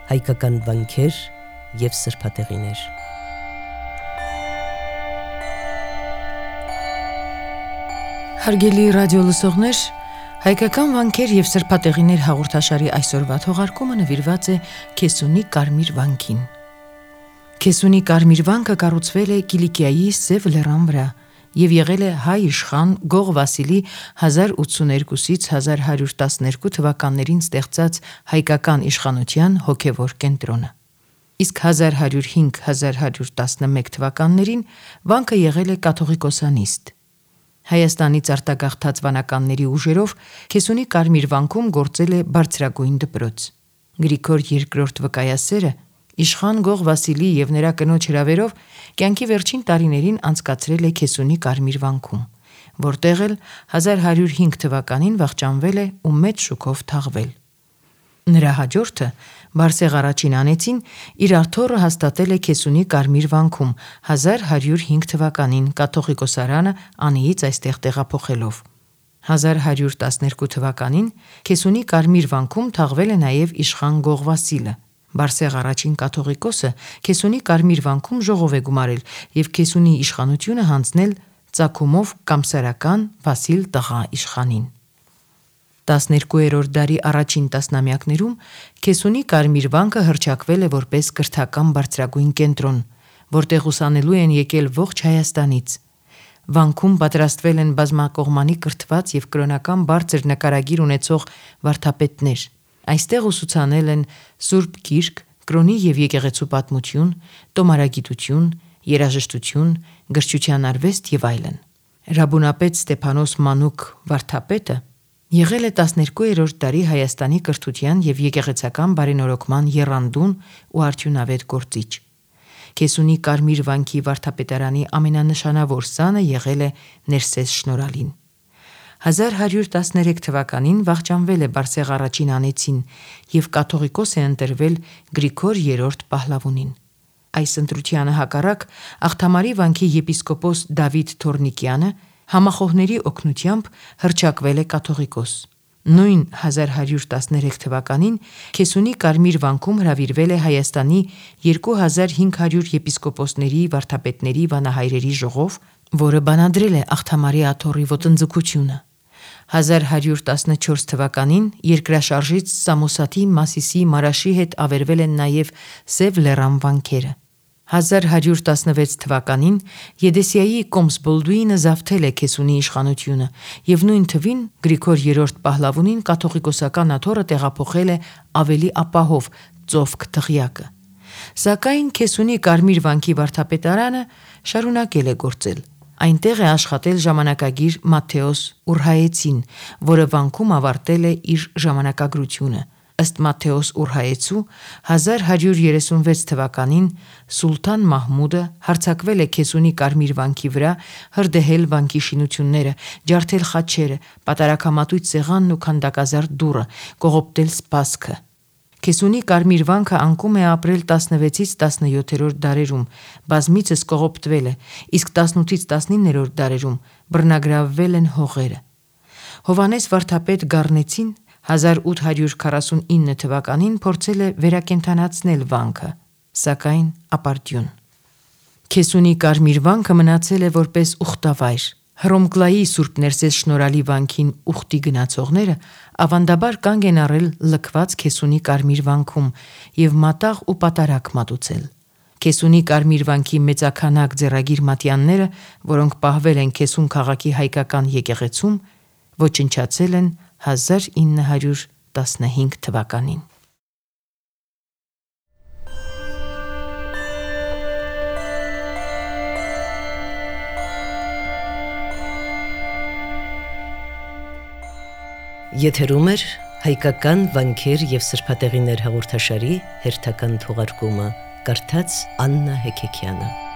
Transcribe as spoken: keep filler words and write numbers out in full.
հայկական վանքեր և սրբատեղիներ։ Հարգելի ռադիո լսողներ, հայկական վանքեր և սրբատեղիներ հաղորդաշարի այսօրվա թողարկումը նվիրված է Քեսունի Կարմիր վանքին։ Քեսունի Կարմիր վանքը կառուցվել է Կիլիկիայի Սև լեռան վրա և եղել է հայ իշխան Գող Վասիլի հազար ութսուներկուսից հազար հարյուր տասներկու թվականներին ստեղծած հայկական իշխանության հոգևոր կենտրոնը։ Իսկ հազար հարյուր հինգ - հազար հարյուր տասնմեկ թվականներին վանքը եղել է կաթողիկոսանիստ։ Հայաստանից արտագաղթած վանականների ուժերով Քեսունի Կարմիր վանքում գործել է բարձրագույն դպրոց։ Գրիգոր երկրորդ վկայասերը իշխան Գող Վասիլի և նրա կնոջ հրավերով կյանքի վերջին տարիներին անցկացրել է Քեսունի Կարմիր վանքում, որտեղ էլ հազար հարյուր հինգ թվականին վախճանվել է ու մեծ շուքով թաղվել։ Նրա հաջորդը Բարսեղ առաջին անեցին իր աթոռը հաստատել է Քեսունի Կարմիր վանքում հազար հարյուր հինգ թվականին կաթողիկոսարանը անիից այստեղ տեղափոխելով։ Հազար հարյուր տասներկու թվականին Քեսունի Կարմիր վանքում թաղվել է նաև իշխան Գող Վասիլը։ Բարսեղ առաջին կաթողիկոսը Քեսունի Կարմիր վանքում ժողով է գումարել և Քեսունի իշխանությունը հանձնել ծագումով կամսարական Վասիլ տղա իշխանին։ տասներկուերորդ դարի առաջին տասնամյակներում Քեսունի Կարմիր վանքը հռչակվել է որպես կրթական բարձրագույն կենտրոն, որտեղ ուսանելու են եկել ողջ Հայաստանից։ Վանքում պատրաստվել են բազմակողմանի կրթված և կրոնական բարձր նկարագիր ունեցող վարդապետներ։ Այստեղ ուսուցանել են Սուրբ Գիրք, կրոնի և եկեղեցու պատմություն, տոմարագիտություն, երաժշտություն, գրչության արվեստ և այլն։ Ռաբունապետ Ստեփանոս Մանուկ վարդապետը եղել է տասներկուերորդ դարի Հայաստանի կրթության և եկեղեցական բարենորոգման եռանդուն ու արդյունավետ գործիչ։ Քեսունի Կարմիր վանքի վարդապետարանի ամենանշանավոր սանը եղել է Ներսես Շնորհալին։ հազար հարյուր տասներեք թվականին վախճանվել է Բարսեղ առաջին անեցին և կաթողիկոս է ընտրվել Գրիգոր երրորդ Փահլավունին։ Այս ընտրությանը հակառակ Աղթամարի վանքի եպիսկոպոս Դավիթ Թորնիկյանը համախոհների օգնությամբ հռչակվել է կաթողիկոս։ Նույն հազար հարյուր տասներեք թվականին Քեսունի Կարմիր վանքում հրավիրվել է Հայաստանի երկու հազար հինգ հարյուր եպիսկոպոսների, վարդապետների, վանահայրերի ժողով, որը բանադրել է Աղթամարի աթոռի ոտնձգությունը։ հազար հարյուր տասնչորս թվականին երկրաշարժից Սամոսաթի, Մասիսի, Մարաշի հետ ավերվել են նաև Սև լեռան վանքերը։ հազար հարյուր տասնվեց թվականին Եդեսիայի Կոմս-Բոլդուինը զավթել է Քեսունի իշխանությունը և նույն թվին Գրիգոր երրորդ Փահլավունին կաթողիկոսական աթոռը տեղափոխել է ավելի ապահով Ծովք դղյակը։ Սակայն Քեսունի Կարմիր վանքի վարդապետարանը շարունակել է գործել։ Այնտեղ է աշխատել ժամանակագիր Մատթեոս Ուրհայեցին, որը վանքում ավարտել է իր ժամանակագրությունը։ Ըստ Մատթեոս Ուրհայեցու հազար հարյուր երեսունվեց թվականին Սուլթան Մահմուդը հարձակվել է Քեսունի Կարմիր վանքի վրա, հրդեհել վանքի շինությունները, ջարդել խաչերը, պատարագամատույց սեղանն ու քանդակազարդ դուռը, կողոպտել սպասքը։ Քեսունի Կարմիր վանքը անկում է ապրել տասնվեցից տասնյոթերորդ դարերում, բազմիցս կողոպտվել է, իսկ տասնութից տասնիններորդ դարերում բռնագրավվել են հողերը։ Հովհաննես վարդապետ Գառնեցին հազար ութ հարյուր քառասունինը թվականին փորձել է վերակենդանացնել վանքը, սակայն ապարդյուն։ Քեսունի Կարմիր վանքը մնացել է որպես ուխտավայր։ Հռոմկլայի Սուրբ Ներսես Շնորհալի վանքին ուխտի գնացողները ավանդաբար կանգ են առել լքված Քեսունի Կարմիր վանքում և մատաղ ու պատարագ մատուցել։ Քեսունի Կարմիր վանքի մեծաքանակ ձեռագիր մատյանները, որոնք պահվել են Քեսուն քաղաքի հայկական եկեղեցում, ոչնչացել են հազար ինը հարյուր տասնհինգ թվականին։ Եթերում է հայկական վանքեր և սրբատեղիներ հաղորդաշարի հերթական թողարկումը, կարդաց Աննա Հեքեքյանը։